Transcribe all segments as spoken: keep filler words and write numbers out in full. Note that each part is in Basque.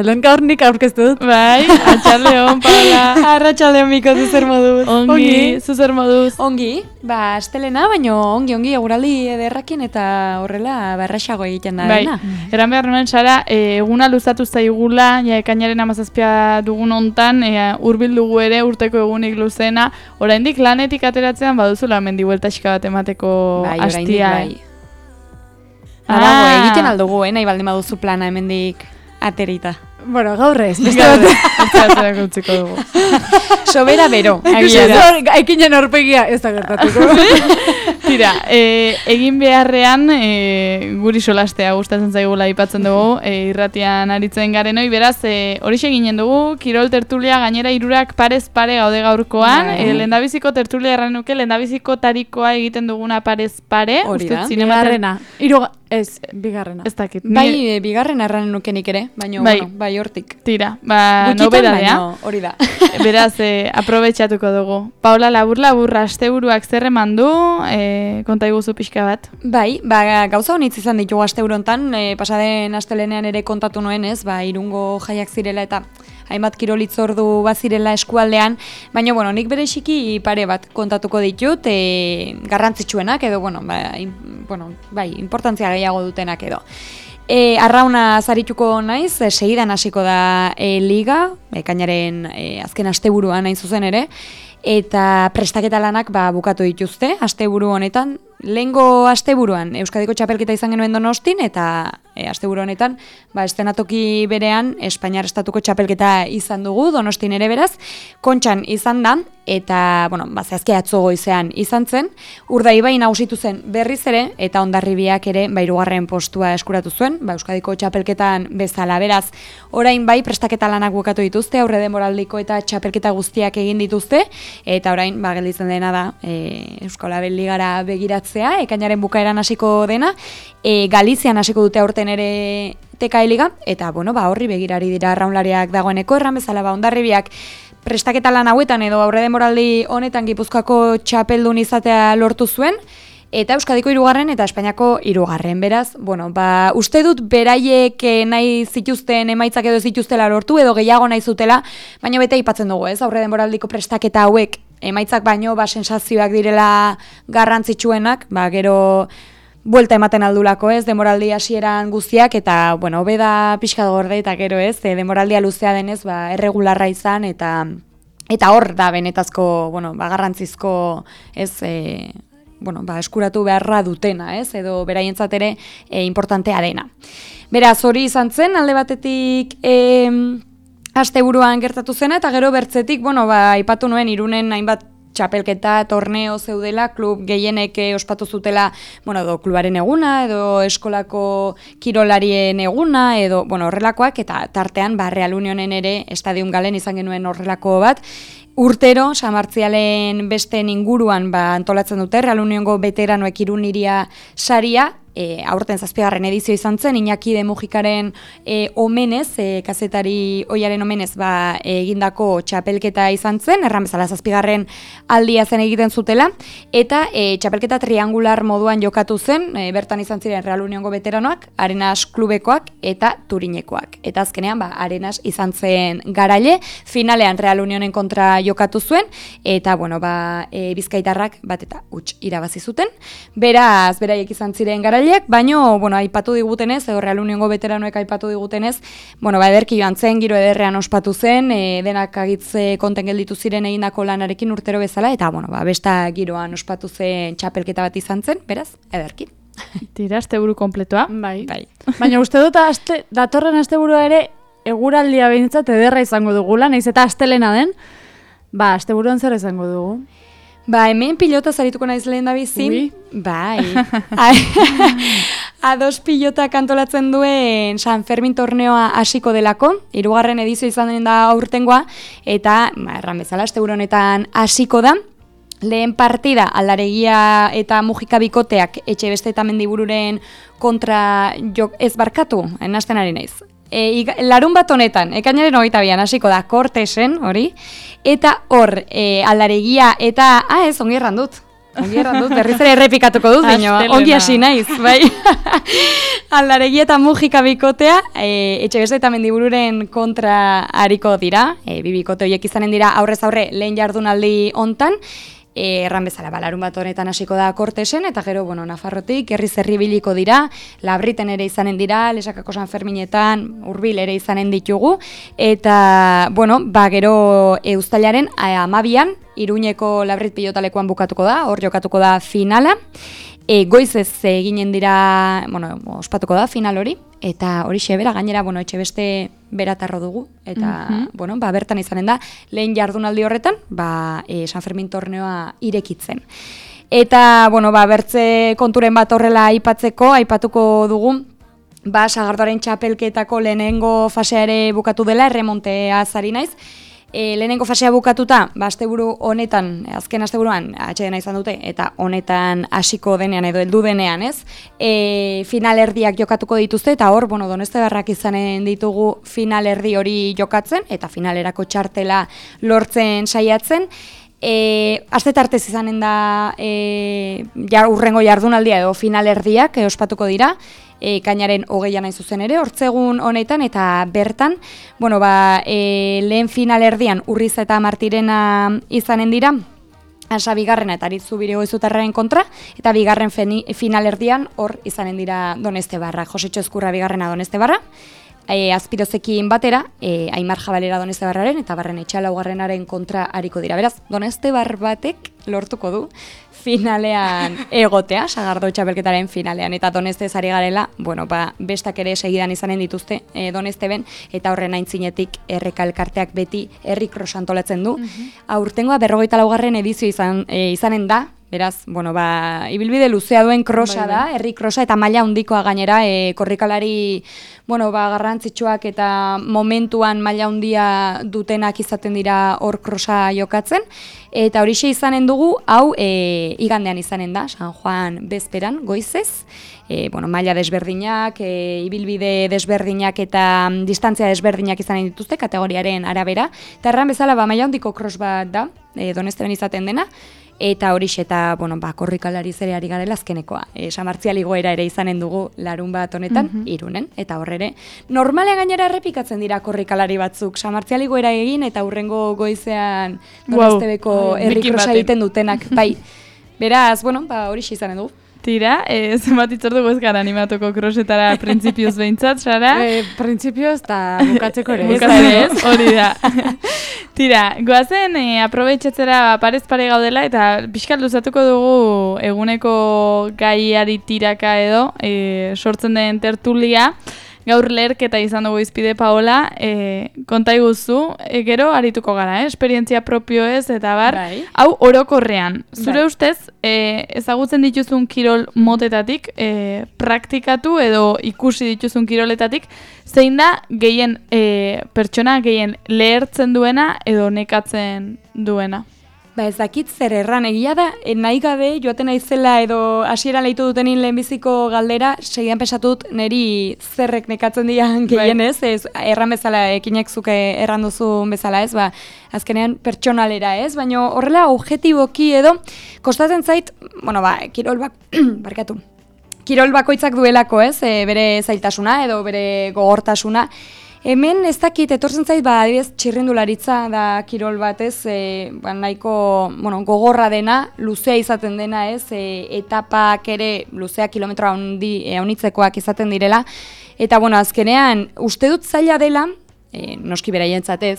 Lehen gaur nik aurkeztu dut. Bai, atxaldeon, Paula. Arratxaldeon biko zuzer moduz. Ongi, zuzer moduz. Ongi, ba, astelena, baino ongi, ongi, eguraldi ederrakin eta horrela barraxago egiten da. Bai, dena. eran behar nuen, Sara, e, eguna luzatu zaigula, ja, ekainaren amazazpia dugun hontan, e, urbil dugu ere urteko egunik luzena, oraindik lanetik ateratzean baduzula mendi bueltaxika bat emateko Bai, oraindik, hastia. bai. Adago, egiten aldugu, eh, nahi baldin baduzu plana hemendik aterita. Bueno, gaur ez. Beste bat ez utziko dugu. Sobera bero. Aikinen horpegia ez da gertatuko. Tira, e, egin beharrean e, guri solastea gustatzen zaigula aipatzen dugu, e, irratian aritzen garenoi, beraz, e, horixe ginen dugu, kirol tertulia gainera hirurak parez pare gaude gaurkoan, e, lehendabiziko tertulia erran nuke, lehendabiziko tarikoa egiten duguna parez pare, hori da, bigarrena. Hiru ez, bigarrena. Ez dakit. Bai, e, bigarren arranen nukenik ere, baina, bai. bueno, bai hortik. Tira, ba, Gutxitan, nobedadea. baino, hori da. Beraz, e, aprobetxatuko dugu. Paula, labur-labur asteburuak zer eman du, e, konta iguzu pixka bat. Bai, ba, gauza honitz izan ditugu asteurontan, e, pasaden astelenean ere kontatu nuen ez, ba, Irungo jaiak zirela eta hainbat kirolitzordu bazirela eskualdean, baina, bueno, nik bereziki pare bat kontatuko ditut, e, garrantzitsuenak edo, bueno, ba, in, bueno, bai, importantzia gehiago dutenak edo. E, arrauna zarituko naiz, e, segidan hasiko da e, liga, ekainaren e, azken asteburuan hain zuzen ere, eta prestaketa lanak ba, bukatu dituzte, asteburu honetan. Lehengo asteburuan Euskadiko txapelketa izan genuen Donostin, eta e, asteburu honetan ba, estenatoki berean Espainiar estatuko txapelketa izan dugu, Donostin ere beraz, Kontxan izan da, eta, bueno, ba, zehazki atzo goizean izan zen, Urdaibai nagusitu zen berriz ere, eta Hondarribiak ere ba, hirugarren postua eskuratu zuen, ba, Euskadiko txapelketan bezala, beraz, orain bai prestaketa lanak bukatu dituzte, aurre denboraldiko eta txapelketa guztiak egin dituzte, eta orain, ba, gelditzen dena da, e, Euskal Ligara begiratzen, ekainaren bukaeran hasiko dena, e, Galizian hasiko dute aurten ere T K E Liga, eta bueno, ba, horri begirari dira arraunlariak dagoeneko, erran bezala ba, Hondarribiak prestaketa lan hauetan edo aurre denboraldi honetan Gipuzkoako txapeldun izatea lortu zuen, eta Euskadiko hirugarren eta Espainiako hirugarren, beraz, bueno, ba, uste dut beraiek nahi zituzten emaitzak edo zituztela lortu edo gehiago nahi zutela, baina bete aipatzen dugu, ez, aurre denboraldiko prestaketa hauek emaitzak baino ba sensazioak direla garrantzitsuenak, ba gero buelta ematen aldulako, ez, demoraldi hasieran guztiak eta bueno, hobe da pixka gorde eta gero, ez, e, demoraldia luzea denez, ba erregularra izan eta eta hor da benetazko, bueno, ba garrantzizko, ez, e, bueno, ba eskuratu beharra dutena, ez, edo beraientzat ere e, importantea dena. Beraz, hori izan zen alde batetik e, asteburuan gertatu zena, eta gero bertzetik, bueno, ba, aipatu nuen Irunen hainbat txapelketa, torneo zeudela, klub gehienek ospatu zutela, bueno, edo klubaren eguna, edo eskolako kirolarien eguna, edo, bueno, horrelakoak, eta tartean, ba, Real Unionen ere, Estadium Galen izan genuen horrelako bat, urtero, Samartzialen besten inguruan ba, antolatzen dute, Real Uniongo veteranoek Irun hiria saria, E, aurten zazpigarren edizio izan zen, Iñaki de Mujikaren e, omenez, e, kazetari oiaren omenez ba, e, egindako txapelketa izan zen, erran bezala zazpigarren aldia zen egiten zutela, eta e, txapelketa triangular moduan jokatu zen, e, bertan izan ziren Real Uniongo veteranoak, Arenas klubekoak eta Turinekoak. Eta azkenean, ba, Arenas izan zen garaile, finalean Real Unionen kontra jokatu zuen, eta bueno, ba, e, bizkaitarrak bat eta huts irabazi zuten, beraz, beraiek izan ziren garaile, baino, bueno, aipatu digutenez, edo Real Uniongo veteranoek aipatu digutenez, bueno, ba, ederki joan zen, giro ederrean ospatu zen, e, denak agitze konten gelditu ziren egindako lanarekin urtero bezala, eta, bueno, ba, besta giroan ospatu zen txapelketa bat izan zen, beraz, ederki. Tira, asteburu kompletoa. Bai. Bai. Baina uste dut aste, datorren asteburua ere eguraldia behintzat ederra izango dugula, nahiz eta astelena den, ba, asteburuan zer izango dugu. Ba, hemen pilota zarituko naiz lehen da bizi. Ui. Bai. Ados pilota kantolatzen duen San Fermin torneoa hasiko delako, hirugarren edizio izan den da aurtengoa, eta, ba, erran bezala, asteburu honetan hasiko da. Lehen partida Aldaregia eta Mujika bikoteak etxe beste eta Mendibururen kontra jok ez barkatu, nahasten ari naiz. E, larun bat honetan, ekainaren hogeita bian hasiko da Kortesen, hori, eta hor, e, Aldaregia eta, ah ez, ongi erran dut, ongi erran dut, berriz ere errepikatuko dut, dino, ongi hasi naiz, bai. Aldaregi eta mugika bikotea, e, Etxebeste eta Mendibururen kontra hariko dira, e, bi bikote horiek izanen dira aurrez aurre lehen jardunaldi hontan, E, erran bezala, balarun bat honetan hasiko da Kortesen, eta gero, bueno, Nafarrotik, herri zerri biliko dira, Labriten ere izanen dira, Lesakako San Ferminetan, Hurbil ere izanen ditugu, eta, bueno, ba, gero e, uztailaren amabian, Iruñeko Labrit pilotalekuan bukatuko da, hor jokatuko da finala, e, goizez eginen dira, bueno, ospatuko da final hori, eta hori xebera, gainera, bueno, Etxebeste beratarro dugu, eta, mm-hmm. bueno, ba, bertan izanen da, lehen jardunaldi horretan, ba, e, San Fermin torneoa irekitzen. Eta, bueno, ba, bertze konturen bat horrela aipatzeko, aipatuko dugu, ba, Sagardoaren txapelketako lehenengo fasea ere bukatu dela, erremontea zari naiz, E, lehenengo fasea bukatuta, ba, asteburu honetan, azken asteburuan atsedena izan dute, eta honetan hasiko denean edo heldu denean, ez? E, finalerdiak jokatuko dituzte, eta hor, bueno, Doneztebarrak izanen ditugu finalerdi hori jokatzen, eta finalerako txartela lortzen saiatzen. E, Aste tartez izanen da e, jar, urrengo jardunaldia edo finalerdiak e, ospatuko dira, E, kainaren hogeian nahi zuzen ere, hortzegun honetan, eta bertan, bueno, ba, e, lehen finalerdian Urriz eta Martirena izanen dira, Asa bigarrena eta Aritzu Birigoizutarraren kontra, eta bigarren feni, finalerdian hor izanen dira Doneztebarra, Josetxo Ezkurra bigarrena Doneztebarra, e, Azpirozekin batera, e, Aimar Jabalera Doneztebarraren, eta Barren Etxalaugarrenaren kontra hariko dira. Beraz, Doneztebar batek lortuko du finalean egotea, Sagardo txapelketaren finalean, eta Doneztez ari garela, bueno, ba, bestak ere segidan izanen dituzte e, Donezteben, eta horren aintzinetik Erreka elkarteak beti herri cross antolatzen du. Mm-hmm. Aurtengoa berrogeita laugarren edizio izan, e, izanen da, beraz, bueno, ba, ibilbide luzea duen krosa da, herri krosa, eta maila handikoa gainera, e, korrikalari, bueno, ba, garrantzitsuak eta momentuan maila handia dutenak izaten dira hor krosa jokatzen, eta horixe izanen dugu, hau e, igandean izanen da, San Juan bezperan, goizez, e, bueno, maila desberdinak, e, ibilbide desberdinak eta um, distantzia desberdinak izanen dituzte, kategoriaren arabera, eta erran bezala, ba, maila handiko kros bat da, e, Donezteben izaten dena, eta horixe eta, bueno, ba, korrikalari zere ari garela azkenekoa. E, Samartzial igoera ere izanen dugu larun bat honetan, mm-hmm. Irunen, eta horrere. Normalean gainera errepikatzen dira korrikalari batzuk. Samartzial igoera egin eta hurrengo goizean Doneztebeko wow. herrikrosa egiten dutenak. Bai, beraz, bueno, ba, horixe izanen dugu. Tira, e, zenbat itzordu gozkara animatuko krosetara printzipioz behintzat, Sara? E, printzipioz eta bukatzeko ere. Bukatzeko ez, hori da. Tira, goazen e, aprobetxetzera parez pare gaudela eta pixkat luzatuko dugu eguneko gaiari tiraka edo e, sortzen den tertulia. Gaur leherketa izan dugu izpide Paola, e, konta iguzu, e, gero arituko gara, eh? Esperientzia propio ez, eta bar, bai. Hau orokorrean. Zure bai. Ustez, e, ezagutzen dituzun kirol motetatik, e, praktikatu edo ikusi dituzun kiroletatik, zein da gehien e, pertsona gehien lehertzen duena edo nekatzen duena? Ba ez dakit zer erran, egia da, nahi gabe joaten naizela edo hasieran leitu dutenin lehenbiziko galdera, segidan pesatut niri zerrek nekatzen dian gehienez, ez, erran bezala, ekinek zuke erran duzu bezala ez, ba, azkenean pertsonalera ez, baina horrela objetiboki edo, kostatzen zait, bueno ba, kirol bak, barkatu, kirol bakoitzak duelako ez, e, bere zailtasuna edo bere gogortasuna. Hemen ez dakit, etortzen zait, ba, adibidez, txirrindularitza da kirol bat ez, e, ba, nahiko bueno, gogorra dena, luzea izaten dena ez, e, etapak ere luzea kilometro haundi, e, haunitzekoak izaten direla, eta bueno, azkenean, uste dut zaila dela, e, noski beraientzat ez,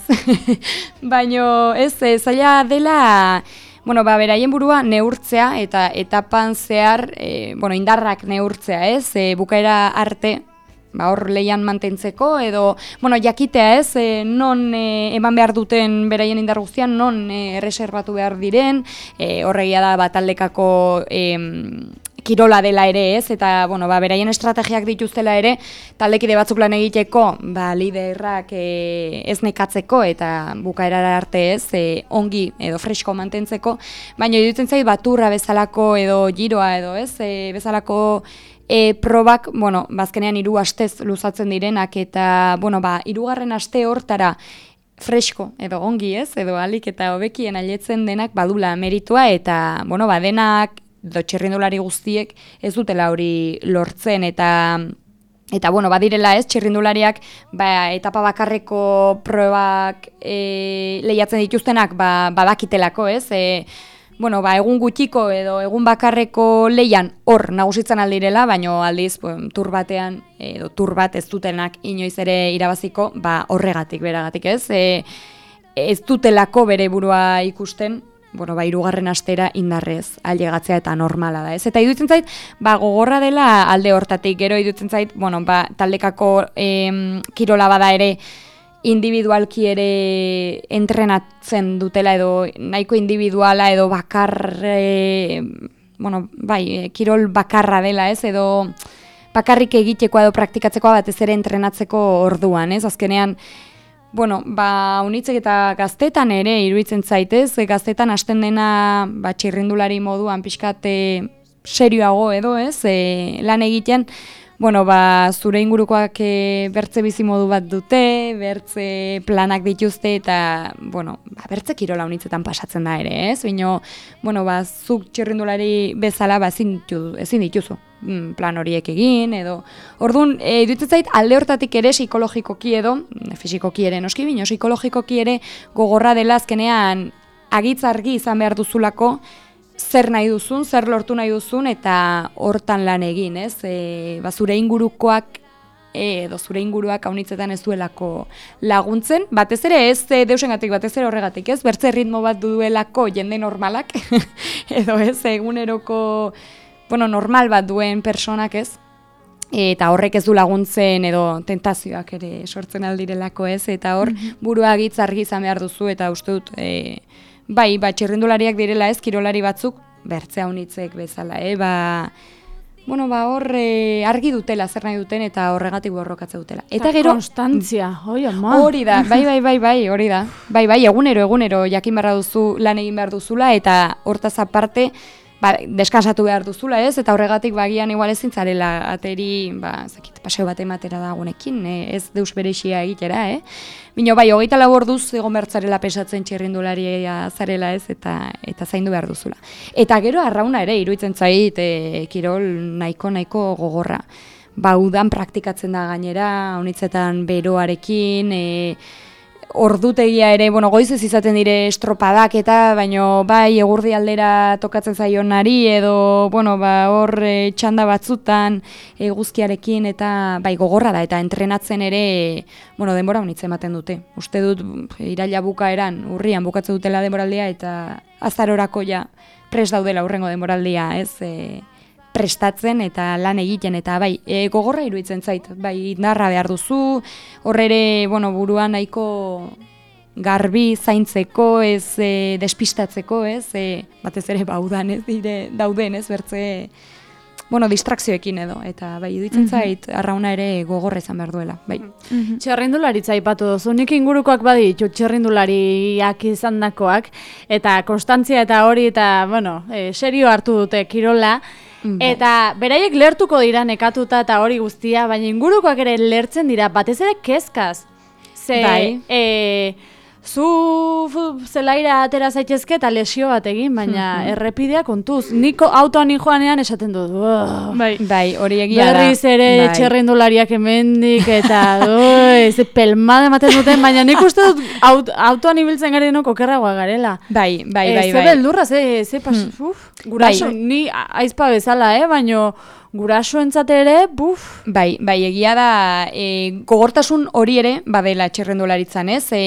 baino ez, e, zaila dela, bueno, ba, beraien burua neurtzea eta etapan zehar, e, bueno, indarrak neurtzea ez, e, bukaera arte, ba, hor leian mantentzeko, edo, bueno, jakitea ez, e, non e, eman behar duten beraien indar guztian, non e, erreserbatu behar diren, e, horregia da bataldekako e, kirola dela ere ez, eta, bueno, ba, beraien estrategiak dituztela ere, taldekide batzuk lan egiteko, ba, liderrak e, ez nekatzeko, eta bukaerara arte ez, e, ongi edo fresko mantentzeko, baina iruditzen zait baturra bezalako edo giroa edo ez, e, bezalako E, probak, bueno, bazkenean hiru astez luzatzen direnak eta, bueno, ba, hirugarren aste hortara fresko edo ongi ez, edo alik eta hobekien ailetzen denak badula meritua eta, bueno, badenak, edo txirrindulari guztiek ez dutela hori lortzen eta eta bueno, badirela ez, txirrindulariak ba, etapa bakarreko probak e, lehiatzen dituztenak ba, badakitelako ez, e, bueno, ba, egun gutxiko edo egun bakarreko lehian hor nagusitzen aldirela, baino aldiz pues, tur batean edo tur bat ez dutenak inoiz ere irabaziko, ba, horregatik, beragatik ez, e, ez dutelako bere burua ikusten, bueno, ba, hirugarren astera indarrez ailegatzea eta normala da, ez? Eta iruditzen zait, ba, gogorra dela alde hortatik, gero iruditzen zait, bueno, ba, taldekako em, kirola bada ere individualki ere entrenatzen dutela edo nahiko individuala edo bakar, e, bueno, bai, kirol bakarra dela, ez? Edo bakarrik egitekoa edo praktikatzekoa batez ere entrenatzeko orduan, ez? Azkenean, bueno, ba, unitzek eta gaztetan ere iruditzen zaitez, gaztetan hasten dena ba, txirrindulari moduan pixkate serioago edo, ez, e, lan egiten, bueno, ba, zure ingurukoak e, bertze bizi modu bat dute, bertze planak dituzte eta, bueno, ba, bertze kirola unitzetan pasatzen da ere, ez, bino, bueno, ba, zuk txirrindulari bezala, ba, ezin, ezin dituzu plan horiek egin, edo, orduan, e, iruditzen zait, alde hortatik ere psikologikoki edo, fisikoki ere noski, bino, psikologikoki ere gogorra dela azkenean agitz argi izan behar duzulako, zer nahi duzun, zer lortu nahi duzun, eta hortan lan egin, ez? E, ba, zure ingurukoak, e, edo zure inguruak haunitzetan ez duelako laguntzen, batez ere ez e, deusengatik, batez ere horregatik, ez? Bertze ritmo bat duelako jende normalak, edo ez, eguneroko, bueno, normal bat duen personak, ez? Eta horrek ez du laguntzen edo tentazioak ere sortzen aldirelako, ez? Eta hor, burua agitz argi izan behar duzu, eta uste dut, e, bai, ba, txirrindulariak direla ez, kirolari batzuk, bertzea unitzek bezala, eh? Ba, bueno, ba, hor e, argi dutela, zer nahi duten, eta horregatik borrokatze dutela. Eta gero... Konstantzia, oi, ama. Hori da, bai, bai, bai, bai, hori da. Bai, bai, egunero, egunero, jakin behar duzu, lan egin behar duzula, eta hortaz aparte, ba, deskansatu behar duzula, ez? Eta horregatik bagian igual ezin zarela ateri, ba, zakit, paseo bat ematera dagunekin, eh? Ez deus berexia egitera, eh? Bino, bai, hogeita lau orduz egon bertzarela pesatzen txirrindularia zarela, ez? Eta eta zaindu behar duzula. Eta gero arrauna ere, iruditzen zait, e, kirol nahiko, nahiko gogorra. Ba, udan praktikatzen da gainera, honitzetan beroarekin, e, ordutegia ere, bueno, goizez izaten dire estropadak eta, baino bai egurdi aldera tokatzen zaionari edo, bueno, ba hor e, txanda batzutan eguzkiarekin eta bai gogorra da eta entrenatzen ere, bueno, denbora honitze ematen dute. Uste dut iraila bukaeran, urrian bukatzen dutela denboraldia eta azarorako ja prest daudela urrengo denboraldia, ez? E, prestatzen eta lan egiten eta bai, e, gogorra iruditzen zait, bai indarra behar duzu, horrere, bueno, buruan nahiko garbi zaintzeko, ez e, despistatzeko, ez, e, batez ere baudan, ez, dire, dauden, ez, bertze, bueno, distrakzioekin edo, eta bai, iruditzen zait, arrauna ere gogorra izan behar duela, bai. Mm-hmm. Txerrindularitza aipatu duzu, nik ingurukoak baditu txerrindulariak izandakoak, eta konstantzia eta hori, eta, bueno, e, serio hartu dute kirola, eta beraiek lertuko dira nekatuta eta hori guztia, baina ingurukoak ere lertzen dira, batez ere kezkaz. Ze, bai. e, zu zelaira atera zaitezke eta lesio bat egin, baina errepidea kontuz. Niko autoan joanean esaten dut. Bai, bai, hori egia da. Berriz ere bai. Txerrindulariak hemendik eta oi, ze pelmada ematen duten, baina nik uste dut aut, autoan ibiltzen garenok okerragoa garela. Bai, bai, e, bai. Ze bai. beldurra, ze, ze pas, hmm. uf, guraso, bai. Ni aizpa bezala, eh, baino gurasoentzat ere, buf. Bai, bai, egia da, e, gogortasun hori ere, badela txerrendularitzan, ez? E,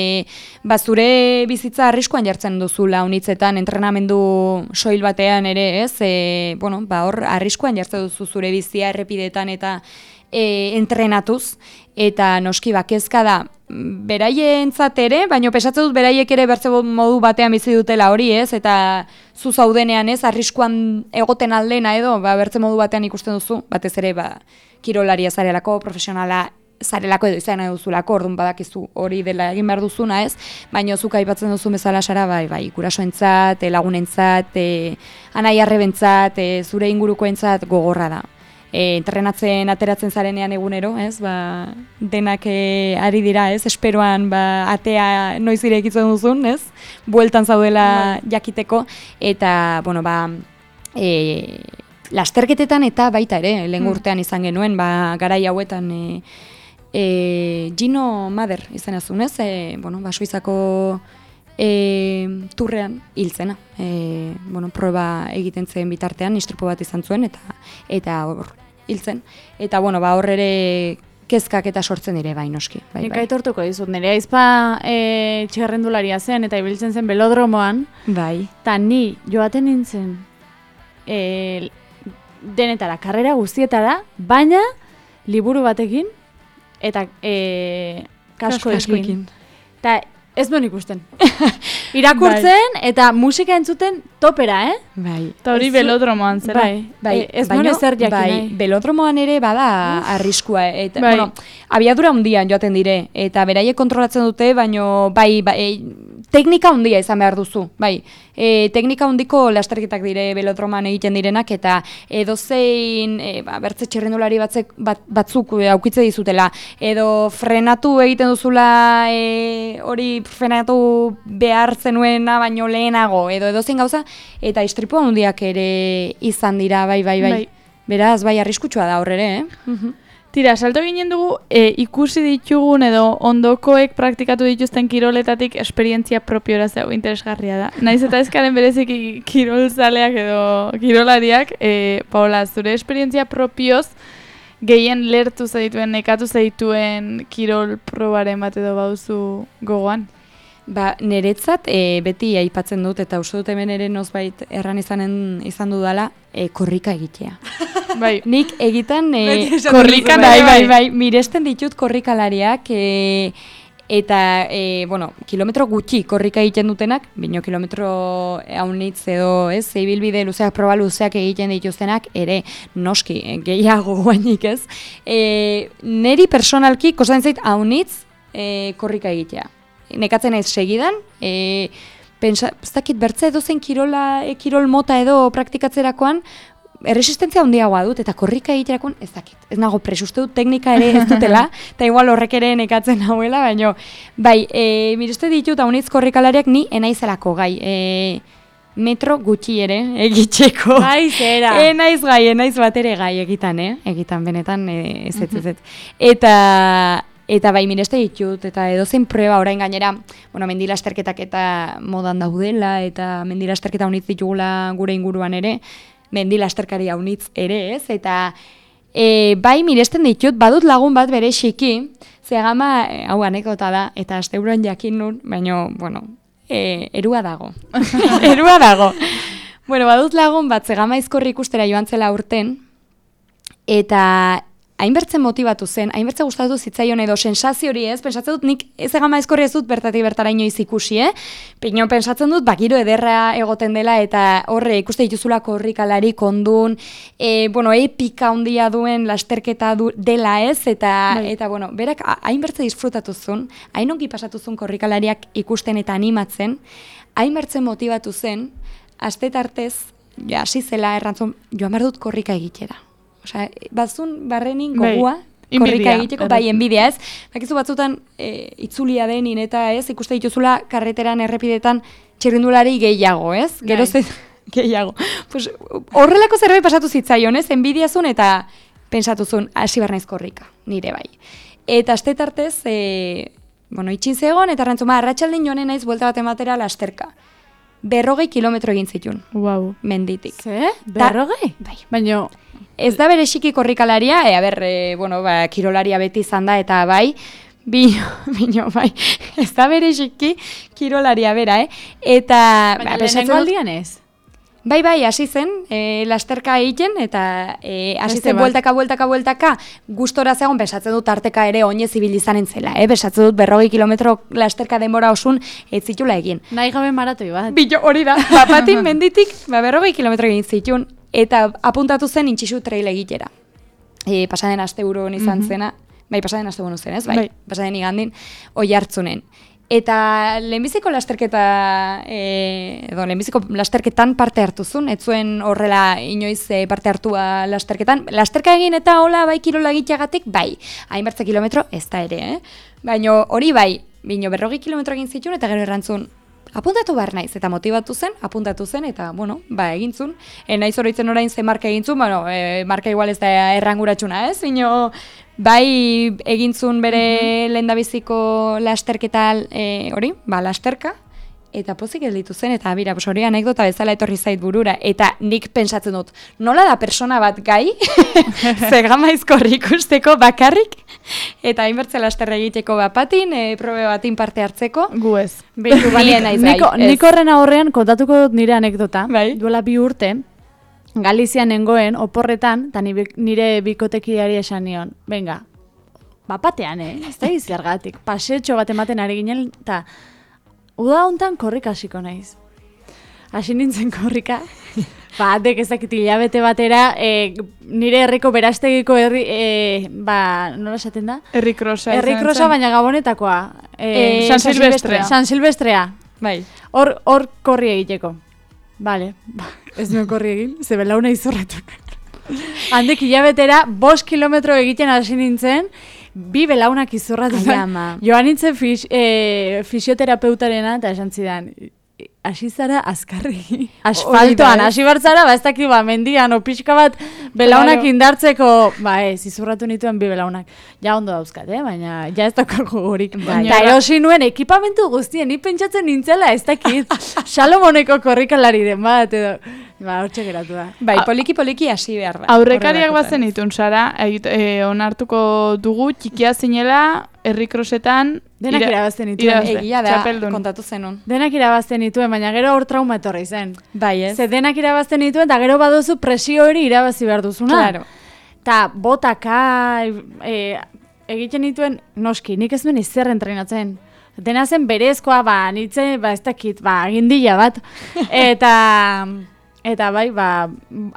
ba, zure bizitza arriskoan jartzen duzula unitzetan, entrenamendu soil batean ere, ez? E, bueno, ba, hor, arriskoan jartzen duzu zure bizia errepidetan eta e, entrenatuz, eta noski bakezka da, beraientzat ere, baino pesatzen dut beraiek ere bertze modu batean bizi dutela hori, ez? Eta zu zaudenean, ez? Arriskuan egoten aldena edo, ba, bertze modu batean ikusten duzu, batez ere, ba, kirolaria zarelako, profesionala zarelako edo izan nahi duzulako, orduan badakizu hori dela egin behar duzuna, ez? Baina zuk aipatzen duzu bezala Sara, bai, bai, gurasoentzat, lagunentzat, e, anai arrebentzat, e, zure ingurukoentzat gogorra da. e, entrenatzen ateratzen zarenean egunero, ez, ba, denak e, ari dira, ez, esperoan, ba, atea noiz irekitzen duzun, ez, bueltan zaudela jakiteko, eta, bueno, ba, e, lasterketetan eta baita ere, lehen urtean izan genuen, ba, garai hauetan, e, e, Gino Mader izan azun, ez, e, bueno, ba, Suizako e, turrean hiltzena. E, bueno, proba egiten zen bitartean, istripu bat izan zuen, eta eta hor hiltzen. Eta, bueno, ba, hor ere kezkak eta sortzen dire bai noski. Bai, Nik bai. aitortuko dizut, nire aizpa e, txerrendularia zen eta ibiltzen zen belodromoan, Bai. eta ni joaten nintzen e, denetara, karrera guztietara, baina liburu batekin eta e, kaskoekin. Kaskoekin. Eta ez duen ikusten. Irakurtzen eta musika entzuten topera, eh? Bai. Eta hori Ez zu- belodromoan zera. Bai, Bai, E, ez baino, nuen ezer jakin bai, nahi. belodromoan ere bada arriskua, eta, Bai. bueno, abiadura handian joaten dire, eta beraiek kontrolatzen dute, baino, bai, bai, teknika handia izan behar duzu, bai, e, teknika handiko lasterketak dire belodroman egiten direnak, eta edozein, e, ba, bertze txerrendulari batzek, bat, batzuk e, aukitze dizutela, edo frenatu egiten duzula, e, hori frenatu behar zenuena baino lehenago, edo edozein gauza, eta istripu handiak ere izan dira, bai, bai, bai. Bai. Beraz, bai, arriskutsua da horrere, eh? Mhm. Tira, salto ginen dugu, e, ikusi ditugun edo ondokoek praktikatu dituzten kiroletatik esperientzia propiora zeu interesgarria da. Naiz eta ezkaren bereziki kirolzaleak edo kirolariak, e, Paola, zure esperientzia propioz gehien lertu zaituen, nekatu zaituen kirol probaren bat edo bauzu gogoan? Ba, niretzat e, beti aipatzen dut, eta uste dut hemen ere nozbait erran izanen izan dudala, e, korrika egitea. Bai, Nik egitan e, Beti esaten korrikan, duzu, bai, bai, bai, bai, miresten ditut korrikalariak, e, eta, e, bueno, kilometro gutxi korrika egiten dutenak, bino kilometro haunitz edo, ez, ibilbide luzeak, proba luzeak egiten dituztenak, ere, noski, e, gehiago guainik, ez. E, neri personalki, kostatzen zait haunitz e, korrika egitea. Nekatzen naiz segidan, e, pensa, ez dakit bertze edozen kirola, e, kirol mota edo praktikatzerakoan, erresistentzia handiagoa dut, eta korrika egiterakoan ez dakit. Ez nago presuste dut teknika ere ez dutela, eta igual horrek ere nekatzen hauela, baina, bai, e, mireste ditut haunitz korrikalariak ni enaizelako gai, e, metro gutxi ere egitzeko. Bai, zera. Enaiz gai, enaiz bat ere gai egitan, eh? Egitan, benetan, e, ez ez ez ez. Eta... Eta bai, mireste ditut, eta edozein proba orain gainera, bueno, mendilasterketak eta modan daudela, eta mendilasterketa unitz ditugula gure inguruan ere, mendilasterkari unitz ere, ez? Eta e, bai, miresten ditut, badut lagun bat bere xiki, zegama, e, hau anekdota da, eta asteuroan jakin nun, baina, bueno, e, erua dago. erua dago. Bueno, badut lagun bat, zegama izkorri ikustera joan zela urten, eta hainbertzen motibatu zen, hainbertze gustatu zitzaion edo sensazio hori, ez? Pentsatzen dut nik ez egama ezkorri ez dut bertatik bertara inoiz ikusi, eh? Pino pentsatzen dut bakiro ederra egoten dela eta horre ikuste dituzula korrikalari kondun, e, bueno, epika handia duen lasterketa du, dela, ez? Eta Bai. eta bueno, berak hainbertze disfrutatu zuen, hain ongi pasatu zuen korrikalariak ikusten eta animatzen, hainbertzen motibatu zen, aste tartez, ja, hasi zela errantzun, joan behar dut korrika egitera. Osea, bazun barrenin Bai, gogua, inbidia, korrika egiteko, bai, erratzen. enbidia, ez? Bakizu batzutan e, itzulia denin eta ez, ikuste dituzula karreteran, errepidetan txirrindulari gehiago, ez? Bai. Gero ze gehiago. Pues, horrelako zerbait pasatu zitzaion, ez? Enbidia zuen eta pentsatu zuen, hasi behar naiz korrika, nire bai. Eta aste tartez, e, bueno, itxin zegoen, eta rantzuma, arratsaldin joanen naiz buelta bat ematera lasterka. Berrogei kilometro egin zituen, wow. menditik. Ze? Berrogei? Bai. Baina, Ez da bereziki korrikalaria, e, a ber, e, bueno, ba, kirolaria beti izan da, eta bai, bino, bino, bai, ez da bereziki kirolaria bera, eh? Eta, baina ba, pentsatzen lehenengo dut- aldian ez. bai, bai, hasi zen, e, lasterka egiten, eta e, hasi Beste zen bat. bueltaka, bueltaka, bueltaka, gustora zegoen, pensatzen dut tarteka ere oinez ibil izanen zela, eh? Pensatzen dut berrogei kilometro lasterka denbora osun ez zitula egin. Nahi gabe maratoi bat. Bilo, hori da, bapatin menditik, ba, berrogei kilometro egin zituen, eta apuntatu zen intxisu trail egitera. E, pasaden aste buruan izan zena, bai, pasaden aste buruan zen, ez? Bai, Bai. pasaden igandin, oi hartzunen. Eta lehenbiziko lasterketa, e, edo lehenbiziko lasterketan parte hartuzun, ez zuen horrela inoiz e, parte hartua lasterketan. Lasterka egin eta hola bai kirola egiteagatik, bai, hainbertze kilometro ez da ere, eh? Baina hori bai, bino berrogi kilometro egin zituen eta gero errantzun, apuntatu behar naiz, eta motibatu zen, apuntatu zen, eta, bueno, ba, egintzun. E, naiz oroitzen orain ze marka egintzun, bueno, e, marka igual ez da erranguratxuna, ez? Bino, bai egintzun bere mm-hmm. lehendabiziko lasterketa e, hori, ba, lasterka, eta pozik gelditu zen, eta bira, hori anekdota bezala etorri zait burura, eta nik pentsatzen dut, nola da persona bat gai, zegamaizkorri ikusteko bakarrik, eta hainbertze lasterra egiteko bapatin, e, probe batin parte hartzeko. Gu ez. Beitu, ba, nik, nik horren aurrean kontatuko dut nire anekdota, bai? Duela bi urte, Galizian nengoen, oporretan, eta nire bikotekideari esan nion, venga, bapatean, eh? Ez da izergatik, pasetxo bat ematen ari ginen, eta uda hontan korrika hasiko naiz. Hasi nintzen korrika, ba, dek ezakit hilabete batera, e, nire herriko berastegiko herri, e, ba, nola esaten da? Herrikrosa. Herrikrosa, baina gabonetakoa. E, e, San Silvestrea. San Silvestrea. Bai. Hor, hor korri egiteko. Bale, ba, ez nuen korri egin, ze belauna izorretu. Handek hilabetera, bost kilometro egiten hasi nintzen, bi belaunak izorratu zen. Joan nintzen fis, e, fisioterapeutaren eta esan zidan, hasi zara azkarri. Asfaltoan, hasi bartzara, ba ez dakit, ba, mendian, o pixka bat belaunak claro. Indartzeko, ba ez, izurratu nituen bi belaunak. Ja ondo dauzkat, eh? Baina ja ez daukako gorik. Eta erosi nuen ekipamentu guztien, ni pentsatzen nintzela, ez dakit, Salomoneko korrikalari den bat, edo, ba, hortxe geratu da. Bai, poliki-poliki hasi behar da. Aurrekariak bazen itun, Sara, e, onartuko dugu, txikia zinela, herrikrosetan, denak irabazten nituen. Egia da, kontatu zenun. Denak irabazten nituen, baina gero hor trauma etorri zen. Bai, ez? Ze denak irabazten nituen, eta gero baduzu presio hori irabazi behar duzuna. Claro. Ta botaka e, egiten nituen, noski, nik ez duen izer entrenatzen. Dena zen berezkoa, ba, nitzen, ba, ez dakit, ba, agindila bat. Eta... Eta bai, ba,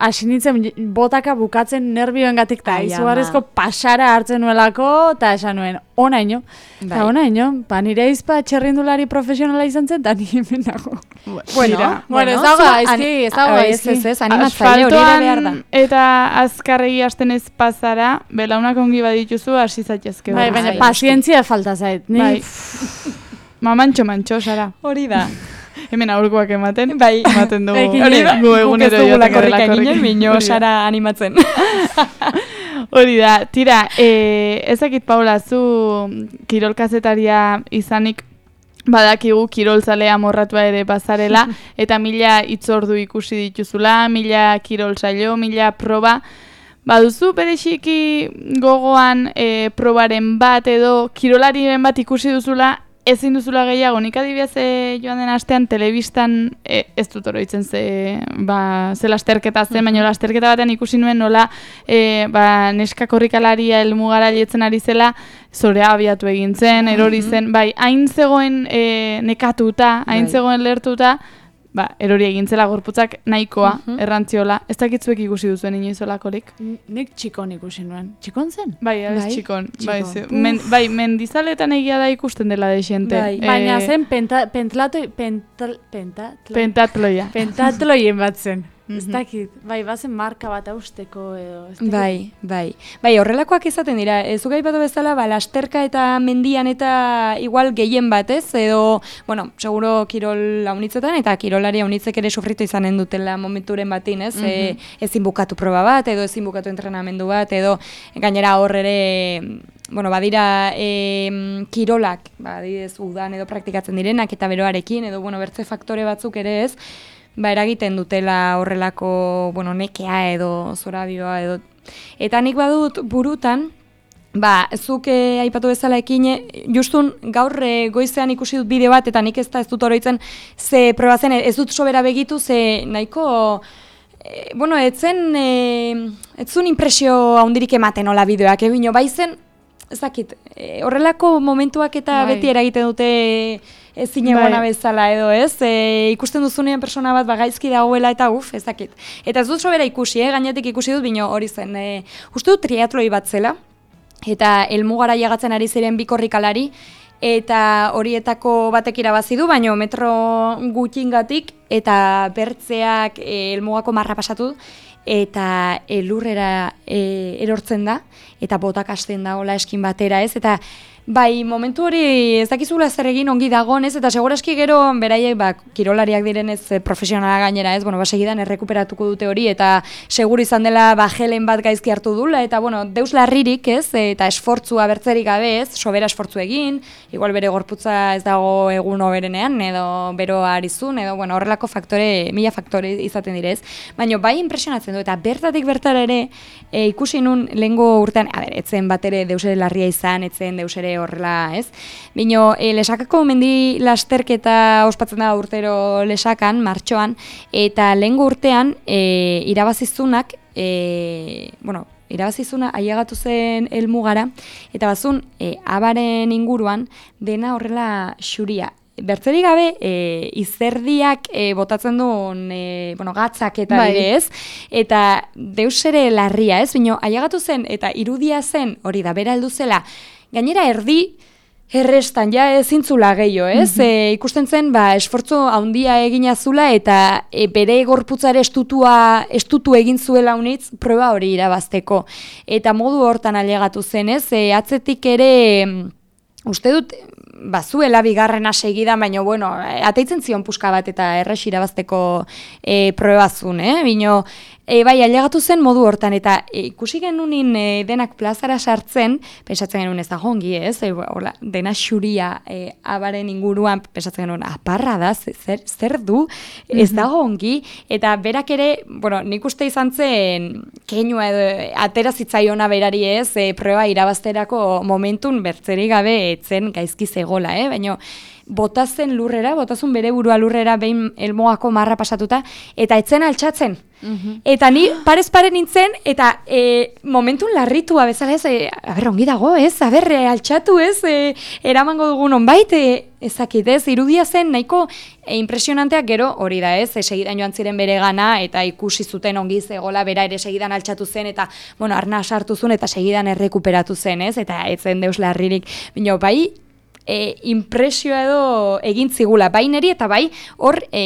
hasi nintzen botaka bukatzen nervioengatik eta izugarrizko pasara hartzen nuelako, eta esan nuen, ona ino. Eta ona ino, ba, nire izpa txerrindulari profesionala izan zen, eta ni hemen dago. Bueno, bueno, ez dago gaizki, ez dago gaizki. Ez, ez, animatzaile hori ere behar da. Eta azkarregi hasten ez pasara, belaunak ongi badituzu, hasi zaitezke. Bai, baina pazientzia falta zait. Bai. Mamantxo, mantxo, Sara. Hori da. Hemen aurkoak ematen, bai, ematen dugu. Hori da, gu egunero joaten garela korrikin. Mino Sara animatzen. Hori da, tira, e, ezakit Paula, zu kirolkazetaria izanik badakigu kirolzalea morratua ere bazarela, eta mila itzordu ikusi dituzula, mila kirolzailo, mila proba. Baduzu bereziki gogoan e, probaren bat edo kirolariren bat ikusi duzula, ezin duzula gehiago, nik adibidez e, joan den astean telebistan e, ez dut oroitzen ze, ba, ze lasterketa zen, baina lasterketa batean ikusi nuen nola e, ba, neska korrikalaria helmugara lietzen ari zela, zorea abiatu egin zen, erori zen, bai, hain zegoen e, nekatuta, hain zegoen lertuta, ba, erori egintzela gorputzak nahikoa, uh-huh. errantziola. Ez dakitzuek ikusi duzuen inoizolakorik? Nik txikon ikusi nuen. Txikon zen? Bai, abez bai? txikon. Bai, men, bai, mendizaletan egia da ikusten dela de xente. Bai. E, baina zen penta, pentlato, pental, pentatlo, pentatloia. Pentatloien bat zen. Ez dakit, bai, bazen marka bat austeko edo. Bai, bai. Bai, horrelakoak izaten dira. Ez ugai batu bezala, ba, lasterka eta mendian eta igual gehien bat, ez? Edo, bueno, seguro kirol haunitzetan eta kirolari haunitzek ere sufritu izanen dutela momenturen batin, ez? Mm -hmm. e, ezin bukatu proba bat, edo ezin bukatu entrenamendu bat, edo gainera hor ere... Bueno, badira e, kirolak, badidez udan edo praktikatzen direnak eta beroarekin, edo bueno, bertze faktore batzuk ere ez, ba, eragiten dutela horrelako, bueno, nekea edo zorabioa edo. Eta nik badut burutan, ba, zuk eh, aipatu bezala ekine, justun gaur eh, goizean ikusi dut bideo bat, eta nik ez da ez dut oroitzen, ze proba zen, ez dut sobera begitu, ze nahiko, eh, bueno, etzen, eh, etzun impresio handirik ematen hola bideoak, ebino, bai zen, ezakit, eh, horrelako momentuak eta bai. Beti eragiten dute ezin egona bai. Bezala edo ez, e, ikusten duzunean persona bat bagaizki dagoela eta uf, ezakit. Eta ez dut sobera ikusi, eh? Gainetik ikusi dut, bino hori zen, e, uste dut triatloi bat zela, eta helmugara jagatzen ari ziren bi korrikalari, eta horietako batek irabazi du, baina metro gutxingatik, eta bertzeak e, elmugako marra pasatu, eta elurrera e, erortzen da, eta botak hasten da, hola eskin batera, ez? Eta bai, momentu hori ez dakizula zer egin ongi dagoen, ez? Eta segurazki gero beraiek ba, kirolariak direnez profesionala gainera, ez? Bueno, ba, segidan errekuperatuko dute hori, eta seguru izan dela ba, gelen bat gaizki hartu dula, eta bueno, deus larririk, ez? Eta esfortzua bertzerik gabe, ez? Sobera esfortzu egin, igual bere gorputza ez dago egun oberenean, edo beroa arizun, edo bueno, horrelako faktore, mila faktore izaten direz. Baina bai impresionatzen du, eta bertatik bertara ere e, ikusi nun lehengo urtean, a ber, etzen bat ere deus ere larria izan, etzen deus ere horrela, ez? Bino, e, lesakako mendi lasterketa ospatzen da urtero lesakan, martxoan, eta lehengo urtean e, irabazizunak, e, bueno, irabazizuna ailegatu zen helmugara, eta bazun, e, abaren inguruan, dena horrela xuria. Bertzerik gabe, e, izerdiak e, botatzen duen e, bueno, gatzak eta bai. bide, ez? Eta deus ere larria, ez? Bino, ailegatu zen, eta irudia zen, hori da, bera heldu zela, gainera erdi errestan, ja ezintzula gehiago, ez? Mm-hmm. E, ikusten zen, ba, esfortzu handia egina zula, eta e, bere gorputzare estutua, estutu egin zuela unitz, proba hori irabazteko. Eta modu hortan ailegatu zen, ez? E, atzetik ere, uste dut, bazuela bigarrena segidan, baina, bueno, ateitzen zion puska bat eta erres irabazteko e, probazun, eh? Bino, e, bai, ailegatu zen modu hortan, eta e, ikusi genunin e, denak plazara sartzen, pensatzen genuen ez da jongi, ez? E, hola, dena xuria e, abaren inguruan, pensatzen genuen, aparra da, zer, zer du, ez da jongi, eta berak ere, bueno, nik uste izan zen, keinua edo, atera zitzaiona berari ez, e, proba irabazterako momentun bertzerik gabe etzen gaizki zegoela, eh? Baina botazen lurrera, botazun bere burua lurrera behin elmoako marra pasatuta, eta etzen altxatzen. Mm-hmm. Eta ni parez pare nintzen, eta e, momentun larritua bezala ez, e, aber, ongi dago, ez, aber, e, altxatu ez, e, eramango dugun onbait, e, ezakit ez, irudia zen nahiko e, impresionanteak gero hori da ez, e, segidan joan ziren bere gana, eta ikusi zuten ongi zegola, bera ere segidan altxatu zen, eta, bueno, arna sartu zuen, eta segidan errekuperatu zen ez, eta etzen deus larririk, bino, bai, E, impresioa edo egin zigula, bai neri eta bai hor e,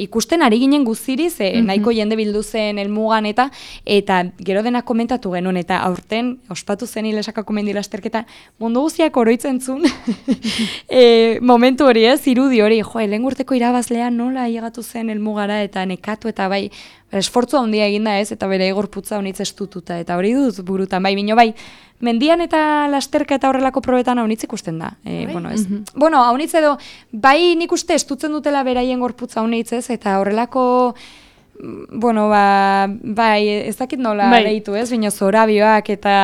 ikusten ari ginen guztiriz, e, mm-hmm. nahiko jende bildu zen helmugan eta eta gero dena komentatu genuen, eta aurten ospatu zen Lesakako mendi lasterketa mundu guztiak oroitzen zuen e, momentu hori ez, irudi hori, jo, lehen urteko irabazlea nola ailegatu zen helmugara eta nekatu eta bai, esfortzu handia eginda ez, eta bere gorputza honitz estututa, eta hori dut burutan, bai, bino bai, mendian eta lasterka eta horrelako probetan haunitz ikusten da. E, bueno, ez, mm-hmm. bueno, haunitz edo, bai nik uste estutzen dutela beraien gorputza haunitz ez, eta horrelako, bueno, ba, bai, ez dakit nola bai. Deitu ez, baina zorabioak eta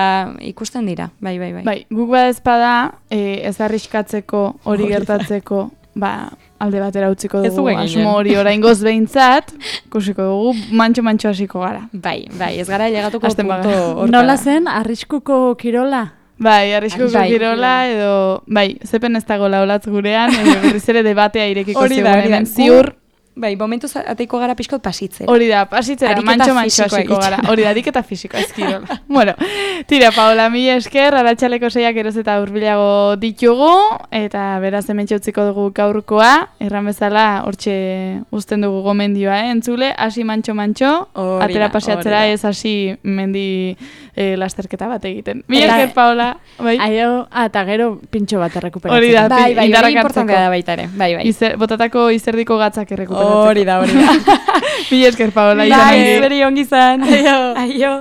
ikusten dira, bai, bai, bai. Bai, guk badezpada, e, ez arriskatzeko, hori gertatzeko, ba, alde batera utziko dugu, asmo hori oraingoz behintzat, kusiko dugu, mantxo-mantxo hasiko gara. Bai, bai, ez gara llegatuko punto hortara. Nola zen, arriskuko kirola? Bai, arriskuko bai, kirola, edo, bai, zepen ez dago laulatz gurean, edo berriz ere debatea irekiko zegoen hemen ziur. Bai, momentuz ateiko gara pixkot pasitzera. Hori da, pasitzera, mantxo-mantxo hasiko gara. Hori da, ariketa fisiko, ez kirola. Bueno, tira, Paola, mila esker, arratsaleko seiak eroz eta hurbilago ditugu, eta beraz hementxe utziko dugu gaurkoa, erran bezala, hortxe uzten dugu gomendioa, eh? Entzule, hasi mantxo-mantxo, atera paseatzera ez hasi mendi eh, lasterketa bat egiten. Mila esker, Paola. Bai. Aio, eta gero pintxo bat errekuperatzen. Hori da, bai, bai, hori importantea da baita ere. Bai, bai. Izer, botatako izerdiko gatzak errekuperatzen. Hori da, hori da. Mila esker, Paola. Bai, zuri ongi zan. Aio. Aio.